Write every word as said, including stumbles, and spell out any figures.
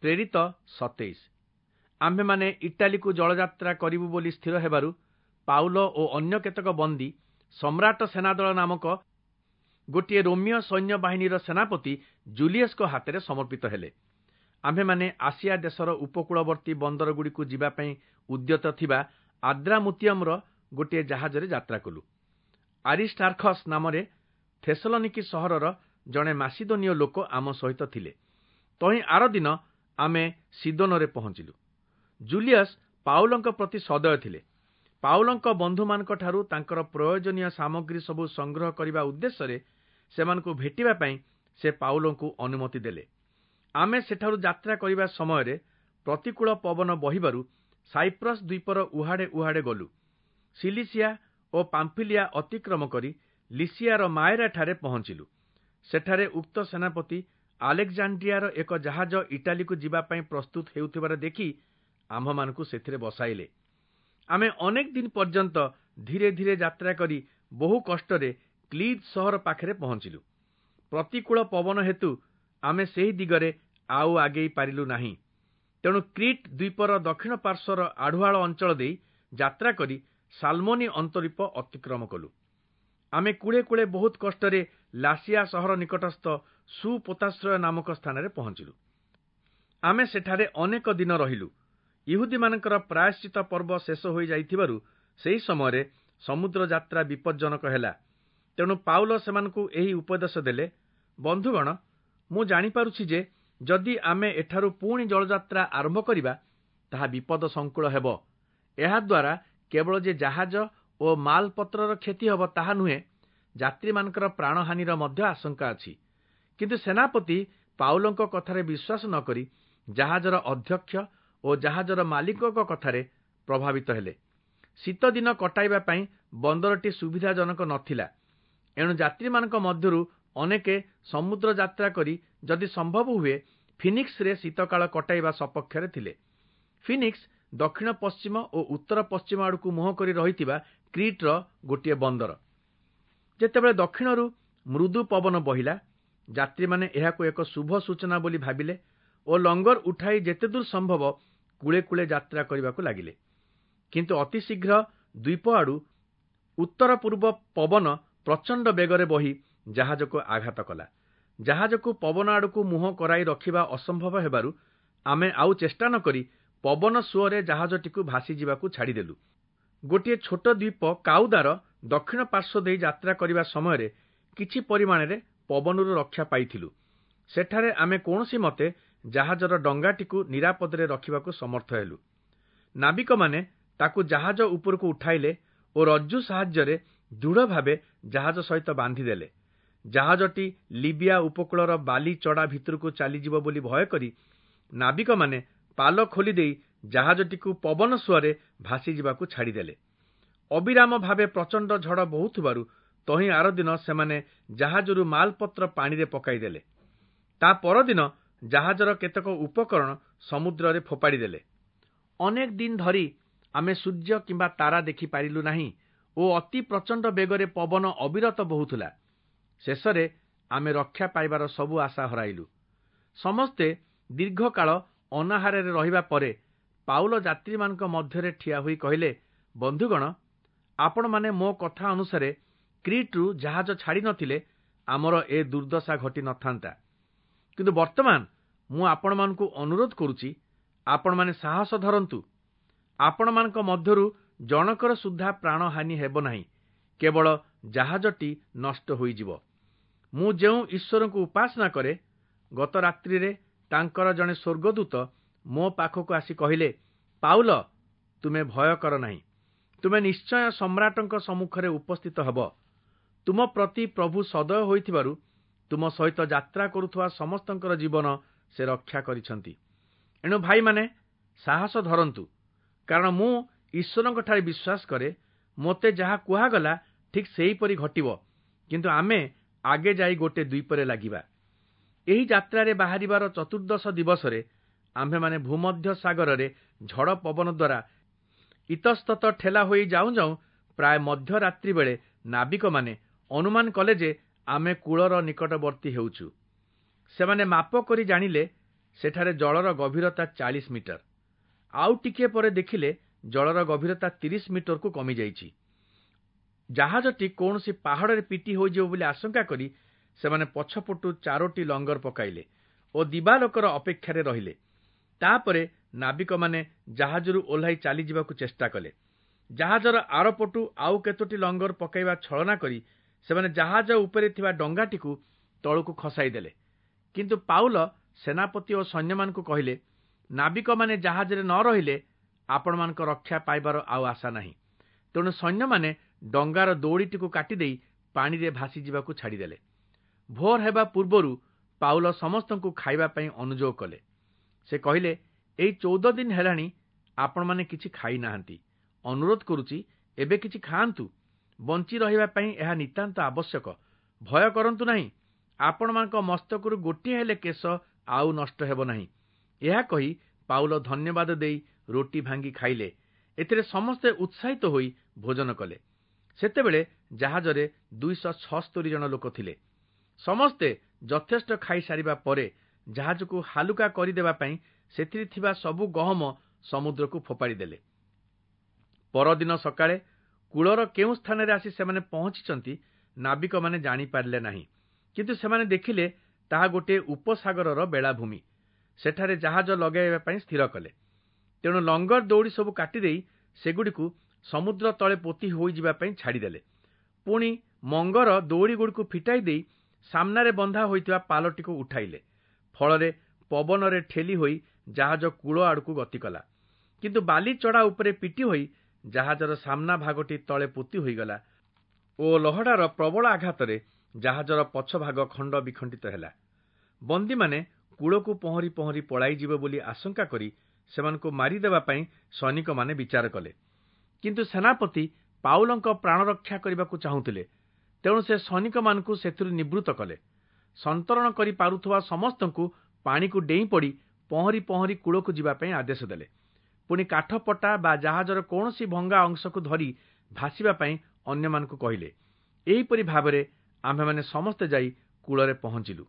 ପ୍ରେରିତ ସତେଇଶ। ଆମ୍ଭେମାନେ ଇଟାଲୀକୁ ଜଳଯାତ୍ରା କରିବୁ ବୋଲି ସ୍ଥିର ହେବାରୁ ପାଉଲ ଓ ଅନ୍ୟ କେତେକ ବନ୍ଦୀ ସମ୍ରାଟ ସେନାଦଳ ନାମକ ଗୋଟିଏ ରୋମୀୟ ସୈନ୍ୟବାହିନୀର ସେନାପତି ଜୁଲିୟସଙ୍କ ହାତରେ ସମର୍ପିତ ହେଲେ। ଆମ୍ଭେମାନେ ଆସିଆ ଦେଶର ଉପକୂଳବର୍ତ୍ତୀ ବନ୍ଦରଗୁଡ଼ିକୁ ଯିବା ପାଇଁ ଉଦ୍ୟତ ଥିବା ଆଦ୍ରାମୁତିୟମର ଗୋଟିଏ ଜାହାଜରେ ଯାତ୍ରା କଲୁ। ଆରିଷ୍ଟାର୍ଖସ୍ ନାମରେ ଥେସଲନିକି ସହରର ଜଣେ ମାସିଦୋନୀୟ ଲୋକ ଆମ ସହିତ ଥିଲେ। ତହିଁ ଆରଦିନ ଆମେ ସିଦୋନରେ ପହଞ୍ଚିଲୁ। ଜୁଲିୟସ୍ ପାଉଲଙ୍କ ପ୍ରତି ସଦୟ ଥିଲେ। ପାଉଲଙ୍କ ବନ୍ଧୁମାନଙ୍କଠାରୁ ତାଙ୍କର ପ୍ରୟୋଜନୀୟ ସାମଗ୍ରୀ ସବୁ ସଂଗ୍ରହ କରିବା ଉଦ୍ଦେଶ୍ୟରେ ସେମାନଙ୍କୁ ଭେଟିବା ପାଇଁ ସେ ପାଉଲଙ୍କୁ ଅନୁମତି ଦେଲେ। ଆମେ ସେଠାରୁ ଯାତ୍ରା କରିବା ସମୟରେ ପ୍ରତିକୂଳ ପବନ ବହିବାରୁ ସାଇପ୍ରସ୍ ଦ୍ୱୀପର ଉହାଡ଼େ ଉହାଡ଼େ ଗଲୁ। ସିଲିସିଆ ଓ ପାମ୍ଫିଲିଆ ଅତିକ୍ରମ କରି ଲିସିଆର ମାଏରାଠାରେ ପହଞ୍ଚିଲୁ। ସେଠାରେ ଉକ୍ତ ସେନାପତି ଆଲେକ୍ଜାଣ୍ଡ୍ରିଆର ଏକ ଜାହାଜ ଇଟାଲୀକୁ ଯିବା ପାଇଁ ପ୍ରସ୍ତୁତ ହେଉଥିବାର ଦେଖି ଆମ୍ଭମାନଙ୍କୁ ସେଥିରେ ବସାଇଲେ। ଆମେ ଅନେକ ଦିନ ପର୍ଯ୍ୟନ୍ତ ଧୀରେ ଧୀରେ ଯାତ୍ରା କରି ବହୁ କଷ୍ଟରେ କ୍ଲିଦ୍ ସହର ପାଖରେ ପହଞ୍ଚିଲୁ। ପ୍ରତିକୂଳ ପବନ ହେତୁ ଆମେ ସେହି ଦିଗରେ ଆଉ ଆଗେଇ ପାରିଲୁ ନାହିଁ। ତେଣୁ କ୍ରିଟ୍ ଦ୍ୱୀପର ଦକ୍ଷିଣ ପାର୍ଶ୍ୱର ଆଢ଼ୁଆଳ ଅଞ୍ଚଳ ଦେଇ ଯାତ୍ରା କରି ସାଲମୋନି ଅନ୍ତରୀପ ଅତିକ୍ରମ କଲୁ। ଆମେ କୂଳେ କୂଳେ ବହୁତ କଷ୍ଟରେ ଲାସିଆ ସହର ନିକଟସ୍ଥ ସୁପୋତାଶ୍ରୟ ନାମକ ସ୍ଥାନରେ ପହଞ୍ଚିଲୁ। ଆମେ ସେଠାରେ ଅନେକ ଦିନ ରହିଲୁ। ଇହୁଦୀମାନଙ୍କର ପ୍ରାୟଶ୍ଚିତ ପର୍ବ ଶେଷ ହୋଇଯାଇଥିବାରୁ ସେହି ସମୟରେ ସମୁଦ୍ର ଯାତ୍ରା ବିପଜ୍ଜନକ ହେଲା। ତେଣୁ ପାଉଲ ସେମାନଙ୍କୁ ଏହି ଉପଦେଶ ଦେଲେ, ବନ୍ଧୁଗଣ, ମୁଁ ଜାଣିପାରୁଛି ଯେ ଯଦି ଆମେ ଏଠାରୁ ପୁଣି ଜଳଯାତ୍ରା ଆରମ୍ଭ କରିବା, ତାହା ବିପଦ ସଂକୁଳ ହେବ। ଏହାଦ୍ୱାରା କେବଳ ଯେ ଜାହାଜ ଓ ମାଲପତ୍ରର କ୍ଷତି ହେବ ତାହା ନୁହେଁ, ଯାତ୍ରୀମାନଙ୍କର ପ୍ରାଣହାନିର ମଧ୍ୟ ଆଶଙ୍କା ଅଛି। କିନ୍ତୁ ସେନାପତି ପାଉଲଙ୍କ କଥାରେ ବିଶ୍ୱାସ ନ କରି ଜାହାଜର ଅଧ୍ୟକ୍ଷ ଓ ଜାହାଜର ମାଲିକଙ୍କ କଥାରେ ପ୍ରଭାବିତ ହେଲେ। ଶୀତଦିନ କଟାଇବା ପାଇଁ ବନ୍ଦରଟି ସୁବିଧାଜନକ ନଥିଲା। ଏଣୁ ଯାତ୍ରୀମାନଙ୍କ ମଧ୍ୟରୁ ଅନେକେ ସମୁଦ୍ର ଯାତ୍ରା କରି ଯଦି ସମ୍ଭବ ହୁଏ ଫିନିକ୍ସରେ ଶୀତକାଳ କଟାଇବା ସପକ୍ଷରେ ଥିଲେ। ଫିନିକ୍ସ ଦକ୍ଷିଣ ପଶ୍ଚିମ ଓ ଉତ୍ତର ପଶ୍ଚିମ ଆଡ଼କୁ ମୁହଁ କରି ରହିଥିବା କ୍ରିଟ୍ର ଗୋଟିଏ ବନ୍ଦର। ଯେତେବେଳେ ଦକ୍ଷିଣରୁ ମୃଦୁ ପବନ ବହିଲା, ଯାତ୍ରୀମାନେ ଏହାକୁ ଏକ ଶୁଭ ସୂଚନା ବୋଲି ଭାବିଲେ ଓ ଲଙ୍ଗର ଉଠାଇ ଯେତେଦୂର ସମ୍ଭବ କୂଳେ କୂଳେ ଯାତ୍ରା କରିବାକୁ ଲାଗିଲେ। କିନ୍ତୁ ଅତି ଶୀଘ୍ର ଦ୍ୱୀପ ଆଡ଼ୁ ଉତ୍ତର ପୂର୍ବ ପବନ ପ୍ରଚଣ୍ଡ ବେଗରେ ବହି ଜାହାଜକୁ ଆଘାତ କଲା। ଜାହାଜକୁ ପବନ ଆଡ଼କୁ ମୁହଁ କରାଇ ରଖିବା ଅସମ୍ଭବ ହେବାରୁ ଆମେ ଆଉ ଚେଷ୍ଟା ନ କରି ପବନ ସୁଅରେ ଜାହାଜଟିକୁ ଭାସିଯିବାକୁ ଛାଡ଼ିଦେଲୁ। ଗୋଟିଏ ଛୋଟ ଦ୍ୱୀପ କାଉଦାର ଦକ୍ଷିଣ ପାର୍ଶ୍ୱ ଦେଇ ଯାତ୍ରା କରିବା ସମୟରେ କିଛି ପରିମାଣରେ ପବନରୁ ରକ୍ଷା ପାଇଥିଲୁ। ସେଠାରେ ଆମେ କୌଣସି ମତେ ଜାହାଜର ଡଙ୍ଗାଟିକୁ ନିରାପଦରେ ରଖିବାକୁ ସମର୍ଥ ହେଲୁ। ନାବିକମାନେ ତାକୁ ଜାହାଜ ଉପରକୁ ଉଠାଇଲେ ଓ ରଜ୍ଜୁ ସାହାଯ୍ୟରେ ଦୃଢ଼ ଭାବେ ଜାହାଜ ସହିତ ବାନ୍ଧିଦେଲେ। ଜାହାଜଟି ଲିବିଆ ଉପକୂଳର ବାଲି ଚଡ଼ା ଭିତରକୁ ଚାଲିଯିବ ବୋଲି ଭୟ କରି ନାବିକମାନେ ପାଲ ଖୋଲିଦେଇ ଜାହାଜଟିକୁ ପବନ ସୁଅରେ ଭାସିଯିବାକୁ ଛାଡ଼ିଦେଲେ। ଅବିରାମ ଭାବେ ପ୍ରଚଣ୍ଡ ଝଡ଼ ବହୁଥିବାରୁ ତହିଁ ଆରଦିନ ସେମାନେ ଜାହାଜରୁ ମାଲପତ୍ର ପାଣିରେ ପକାଇଦେଲେ। ତା ପରଦିନ ଜାହାଜର କେତେକ ଉପକରଣ ସମୁଦ୍ରରେ ଫୋପାଡ଼ିଦେଲେ। ଅନେକ ଦିନ ଧରି ଆମେ ସୂର୍ଯ୍ୟ କିମ୍ବା ତାରା ଦେଖିପାରିଲୁ ନାହିଁ ଓ ଅତି ପ୍ରଚଣ୍ଡ ବେଗରେ ପବନ ଅବିରତ ବହୁଥିଲା। ଶେଷରେ ଆମେ ରକ୍ଷା ପାଇବାର ସବୁ ଆଶା ହରାଇଲୁ। ସମସ୍ତେ ଦୀର୍ଘକାଳ ଅନାହାରରେ ରହିବା ପରେ ପାଉଲ ଯାତ୍ରୀମାନଙ୍କ ମଧ୍ୟରେ ଠିଆ ହୋଇ କହିଲେ, ବନ୍ଧୁଗଣ, ଆପଣମାନେ ମୋ କଥା ଅନୁସାରେ କ୍ରିଟ୍ରୁ ଜାହାଜ ଛାଡ଼ି ନଥିଲେ ଆମର ଏ ଦୁର୍ଦ୍ଦଶା ଘଟି ନଥାନ୍ତା। କିନ୍ତୁ ବର୍ତ୍ତମାନ ମୁଁ ଆପଣମାନଙ୍କୁ ଅନୁରୋଧ କରୁଛି, ଆପଣମାନେ ସାହସ ଧରନ୍ତୁ। ଆପଣମାନଙ୍କ ମଧ୍ୟରୁ ଜଣକର ସୁଦ୍ଧା ପ୍ରାଣହାନି ହେବ ନାହିଁ, କେବଳ ଜାହାଜଟି ନଷ୍ଟ ହୋଇଯିବ। ମୁଁ ଯେଉଁ ଈଶ୍ୱରଙ୍କୁ ଉପାସନା କରେ, ଗତ ରାତ୍ରିରେ ତାଙ୍କର ଜଣେ ସ୍ୱର୍ଗଦୂତ ମୋ ପାଖକୁ ଆସି କହିଲେ, ପାଉଲ, ତୁମେ ଭୟ କର ନାହିଁ। ତୁମେ ନିଶ୍ଚୟ ସମ୍ରାଟଙ୍କ ସମ୍ମୁଖରେ ଉପସ୍ଥିତ ହେବ। ତୁମ ପ୍ରତି ପ୍ରଭୁ ସଦୟ ହୋଇଥିବାରୁ ତୁମ ସହିତ ଯାତ୍ରା କରୁଥିବା ସମସ୍ତଙ୍କର ଜୀବନ ସେ ରକ୍ଷା କରିଛନ୍ତି। ଏଣୁ ଭାଇମାନେ, ସାହସ ଧରନ୍ତୁ, କାରଣ ମୁଁ ଈଶ୍ୱରଙ୍କଠାରେ ବିଶ୍ୱାସ କରେ, ମୋତେ ଯାହା କୁହାଗଲା ଠିକ୍ ସେହିପରି ଘଟିବ। କିନ୍ତୁ ଆମେ ଆଗେ ଯାଇ ଗୋଟେ ଦ୍ୱୀପରେ ଲାଗିବା। ଏହି ଯାତ୍ରାରେ ବାହାରିବାର ଚତୁର୍ଦ୍ଦଶ ଦିବସରେ ଆମ୍ଭେମାନେ ଭୂମଧ୍ୟ ସାଗରରେ ଝଡ଼ ପବନ ଦ୍ୱାରା ଇତସ୍ତତ ଠେଲା ହୋଇ ଯାଉଁ ଯାଉଁ ପ୍ରାୟ ମଧ୍ୟରାତ୍ରି ବେଳେ ନାବିକମାନେ ଅନୁମାନ କଲେ ଯେ ଆମେ କୂଳର ନିକଟବର୍ତ୍ତୀ ହେଉଛୁ। ସେମାନେ ମାପ କରି ଜାଣିଲେ ସେଠାରେ ଜଳର ଗଭୀରତା ଚାଳିଶ ମିଟର। ଆଉ ଟିକିଏ ପରେ ଦେଖିଲେ ଜଳର ଗଭୀରତା ତିରିଶ ମିଟରକୁ କମିଯାଇଛି। ଜାହାଜଟି କୌଣସି ପାହାଡ଼ରେ ପିଟି ହୋଇଯିବ ବୋଲି ଆଶଙ୍କା କରି ସେମାନେ ପଛପଟୁ ଚାରୋଟି ଲଙ୍ଗର ପକାଇଲେ ଓ ଦିବାଲୋକର ଅପେକ୍ଷାରେ ରହିଲେ। ତାପରେ ନାବିକମାନେ ଜାହାଜରୁ ଓହ୍ଲାଇ ଚାଲିଯିବାକୁ ଚେଷ୍ଟା କଲେ। ଜାହାଜର ଆରପଟୁ ଆଉ କେତୋଟି ଲଙ୍ଗର ପକାଇବା ଛଳନା କରି ସେମାନେ ଜାହାଜ ଉପରେ ଥିବା ଡଙ୍ଗାଟିକୁ ତଳକୁ ଖସାଇ ଦେଲେ। କିନ୍ତୁ ପାଉଲ ସେନାପତି ଓ ସୈନ୍ୟମାନଙ୍କୁ କହିଲେ, ନାବିକମାନେ ଜାହାଜରେ ନ ରହିଲେ ଆପଣମାନଙ୍କ ରକ୍ଷା ପାଇବାର ଆଉ ଆଶା ନାହିଁ। ତେଣୁ ସୈନ୍ୟମାନେ ଡଙ୍ଗାର ଦଉଡ଼ିଟିକୁ କାଟିଦେଇ ପାଣିରେ ଭାସିଯିବାକୁ ଛାଡ଼ିଦେଲେ। ଭୋର ହେବା ପୂର୍ବରୁ ପାଉଲ ସମସ୍ତଙ୍କୁ ଖାଇବା ପାଇଁ ଅନୁଯୋଗ କଲେ। ସେ କହିଲେ, ଏଇ ଚଉଦ ଦିନ ହେଲାଣି ଆପଣମାନେ କିଛି ଖାଇନାହାନ୍ତି। ଅନୁରୋଧ କରୁଛି, ଏବେ କିଛି ଖାଆନ୍ତୁ। ବଞ୍ଚି ରହିବା ପାଇଁ ଏହା ନିତାନ୍ତ ଆବଶ୍ୟକ। ଭୟ କରନ୍ତୁ ନାହିଁ, ଆପଣମାନଙ୍କ ମସ୍ତକରୁ ଗୋଟିଏ ହେଲେ କେଶ ଆଉ ନଷ୍ଟ ହେବ ନାହିଁ। ଏହା କହି ପାଉଲ ଧନ୍ୟବାଦ ଦେଇ ରୋଟି ଭାଙ୍ଗି ଖାଇଲେ। ଏଥିରେ ସମସ୍ତେ ଉତ୍ସାହିତ ହୋଇ ଭୋଜନ କଲେ। ସେତେବେଳେ ଜାହାଜରେ ଦୁଇଶହ ଛସ୍ତରୀ ଜଣ ଲୋକ ଥିଲେ। ସମସ୍ତେ ଯଥେଷ୍ଟ ଖାଇସାରିବା ପରେ ଜାହାଜକୁ ହାଲୁକା କରିଦେବା ପାଇଁ ସେଥିରେ ଥିବା ସବୁ ଗହମ ସମୁଦ୍ରକୁ ଫୋପାଡ଼ି ଦେଲେ। ପରଦିନ ସକାଳେ କୂଳର କେଉଁ ସ୍ଥାନରେ ଆସି ସେମାନେ ପହଞ୍ଚିଛନ୍ତି ନାବିକମାନେ ଜାଣିପାରିଲେ ନାହିଁ। କିନ୍ତୁ ସେମାନେ ଦେଖିଲେ ତାହା ଗୋଟିଏ ଉପସାଗରର ବେଳାଭୂମି। ସେଠାରେ ଜାହାଜ ଲଗାଇବା ପାଇଁ ସ୍ଥିର କଲେ। ତେଣୁ ଲଙ୍ଗର ଦଉଡ଼ି ସବୁ କାଟିଦେଇ ସେଗୁଡ଼ିକୁ ସମୁଦ୍ର ତଳେ ପୋତି ହୋଇଯିବା ପାଇଁ ଛାଡ଼ିଦେଲେ। ପୁଣି ମଙ୍ଗର ଦଉଡ଼ିଗୁଡ଼ିକୁ ଫିଟାଇ ଦେଇ ସାମ୍ନାରେ ବନ୍ଧା ହୋଇଥିବା ପାଲଟିକୁ ଉଠାଇଲେ। ଫଳରେ ପବନରେ ଠେଲି ହୋଇ ଜାହାଜ କୂଳ ଆଡ଼କୁ ଗତି କଲା। କିନ୍ତୁ ବାଲି ଚଢ଼ା ଉପରେ ପିଟି ହୋଇ ଜାହାଜର ସାମ୍ନା ଭାଗଟି ତଳେ ପୋତି ହୋଇଗଲା ଓ ଲହଡ଼ାର ପ୍ରବଳ ଆଘାତରେ ଜାହାଜର ପଛ ଭାଗ ଖଣ୍ଡ ବିଖଣ୍ଡିତ ହେଲା। ବନ୍ଦୀମାନେ କୂଳକୁ ପହଁରି ପହଁରି ପଳାଇଯିବେ ବୋଲି ଆଶଙ୍କା କରି ସେମାନଙ୍କୁ ମାରିଦେବା ପାଇଁ ସୈନିକମାନେ ବିଚାର କଲେ। କିନ୍ତୁ ସେନାପତି ପାଉଲଙ୍କ ପ୍ରାଣ ରକ୍ଷା କରିବାକୁ ଚାହୁଁଥିଲେ। ତେଣୁ ସେ ସୈନିକମାନଙ୍କୁ ସେଥିରୁ ନିବୃତ୍ତ କଲେ। ସନ୍ତରଣ କରି ପାରୁଥିବା ସମସ୍ତଙ୍କୁ ପାଣିକୁ ଡେଇଁ ପଡ଼ି ପହଁରି ପହଁରି କୂଳକୁ ଯିବା ପାଇଁ ଆଦେଶ ଦେଲେ। ପୁଣି କାଠପଟା ବା ଜାହାଜର କୌଣସି ଭଙ୍ଗା ଅଂଶକୁ ଧରି ଭାସିବା ପାଇଁ ଅନ୍ୟମାନଙ୍କୁ କହିଲେ। ଏହିପରି ଭାବରେ ଆମ୍ଭେମାନେ ସମସ୍ତେ ଯାଇ କୂଳରେ ପହଞ୍ଚିଲୁ।